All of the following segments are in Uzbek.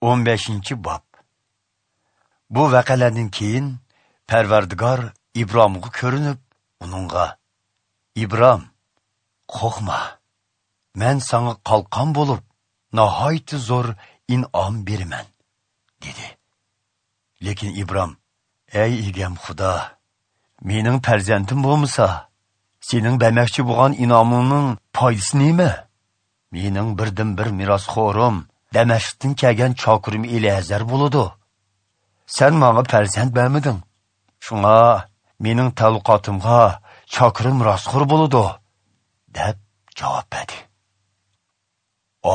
15-bob. Bu vaqalardan keyin Parvardigor Ibromga ko'rinib, uningga: "Ibrom, qo'rqma. Men senga qalqon bo'lib, nihoyatda zo'r in'om beraman" dedi. Lekin Ibrom: "Ey egam Xudo, mening farzandim bo'lmasa, sening bermoqchi bo'lgan in'omingning foydasi nima? Mening birdan-bir merosxo'rim Damashqdan kelgan chokirim Elazar bo'ladi. Sen menga farzand bermiding. Shunga mening tavluqotimga chokirim merosxo'r bo'ladi" deb javob berdi.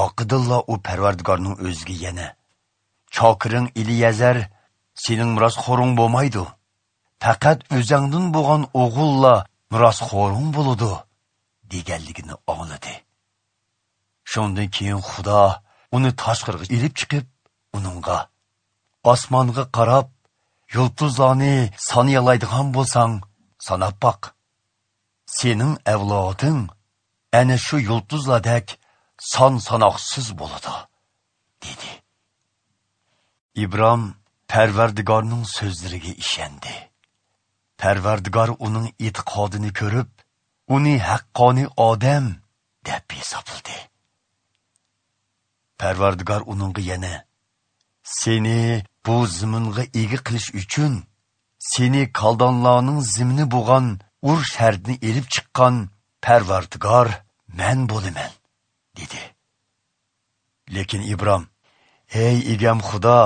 Oqidilla u Parvardigorning o'ziga yana: "Chokiring Eliyazar sening merosxo'ring bo'lmaydi. Faqat o'zingdan bo'lgan o'g'illa merosxo'ring bo'ladi" deganligini angladi. Shundan keyin Xudo uni tashqariga ilib chiqib, uningga: "Osmonga qarab, yulduzlarni sanayalaydigan bo'lsang, sanab boq. Sening avloding ana shu yulduzlardek son sanoqsiz bo'ladi" dedi. Ibrom Parvardigorning so'zlariga ishondi. Parvardigor uning e'tiqodini ko'rib, uni haqqoniy odam deb hisobladi. Parvardigor uningga yana: "Seni bu ziminga ega qilish uchun seni kaldonlarning zimini bo'lgan Ur shahridan elib chiqqan Parvardigor men bo'laman" dedi. Lekin Ibrom: "Ey egam Xudo,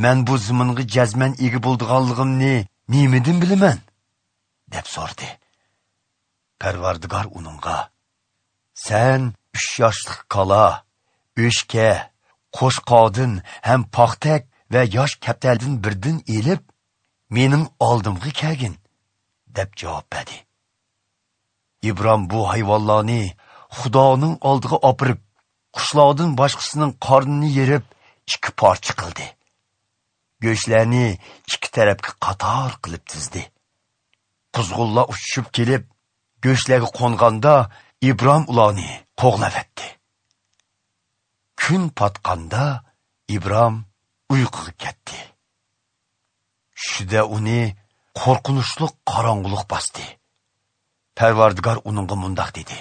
men bu ziminga jazman ega bo'lganligimni nimadan bilaman?" deb so'radi. Parvardigor uningga: "Sen 3 yoshlik kala, o'shka, qo'shqodin ham paxtak va yosh kaptaldan birdan elib, mening oldimga kelgin" deb javob berdi. Ibrom bu hayvonlarni Xudoning oldiga opirib, qushlardan boshqasining qornini yerib, 2 parcha qildi. Go'shtlarni 2 tarafga qator qilib tizdi. Quzg'unlar uchishib kelib, go'shtlarga qo'nganda Ibrom ularni qo'g'lavatdi. Kun patqanda Ibrom uyquga ketdi. Tushida uni qo'rqinchli qorong'ulik bosdi. Parvardigor uningga mundoq dedi: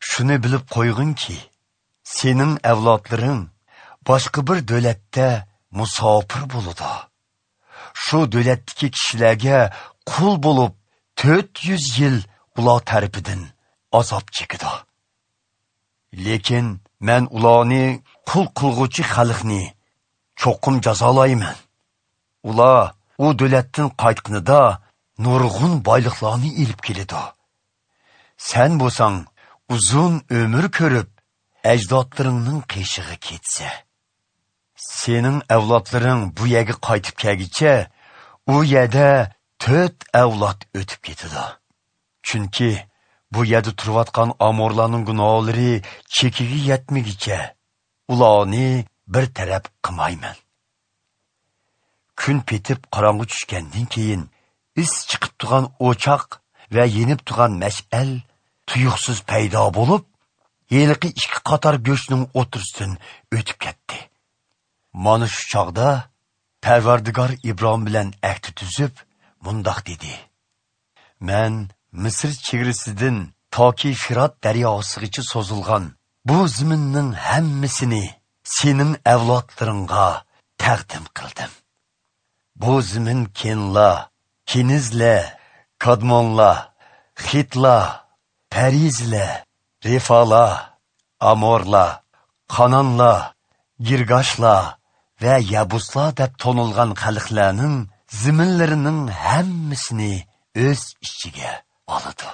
"Shuni bilib qo'yg'inki, sening avlodlaring boshqa bir davlatda musofir bo'ladi. Shu davlatdagi kishilarga qul bo'lib 400 yil ular tarafidan azob chekadi. Lekin men ularni qul qilg'uvchi xalqni cho'qim jazolayman. Ular u davlatdan qaytqanida nurg'un boyliqlarni ilib keladi. Sen bo'lsang uzun ömür ko'rib, ajdodlaringning qishig'i ketsa, sening avlodlaring bu yerga qaytib kelguncha u yerda 4 avlod o'tib ketadi. Chunki bu yerda turayotgan amorlarning gunohlari chekiga yetmaguncha ularni bir taraf qilmayman." Kun petib qorong'u tushgandan keyin is chiqib turgan o'choq va yenib turgan mash'al tuyuqsiz paydo bo'lib, yeliqi 2 qator go'shtning o'tirisidan o'tib ketdi. Mana shu chog'da Parvardigor Ibrom bilan ahd tuzib, mundoq dedi: "Men Misr chegarasidan toki Firat daryosigacha so'zilgan bu ziminning hammasini sening avlodlaringga taqdim qildim. Bu zimin Kenla, Kenizla, Kadmonla, Xitla, Perizla, Refala, Amorla, Qanonla, Girgashla va Yabusla deb tonilgan xalqlarning ziminlarining hammasini o'z ichiga oladi."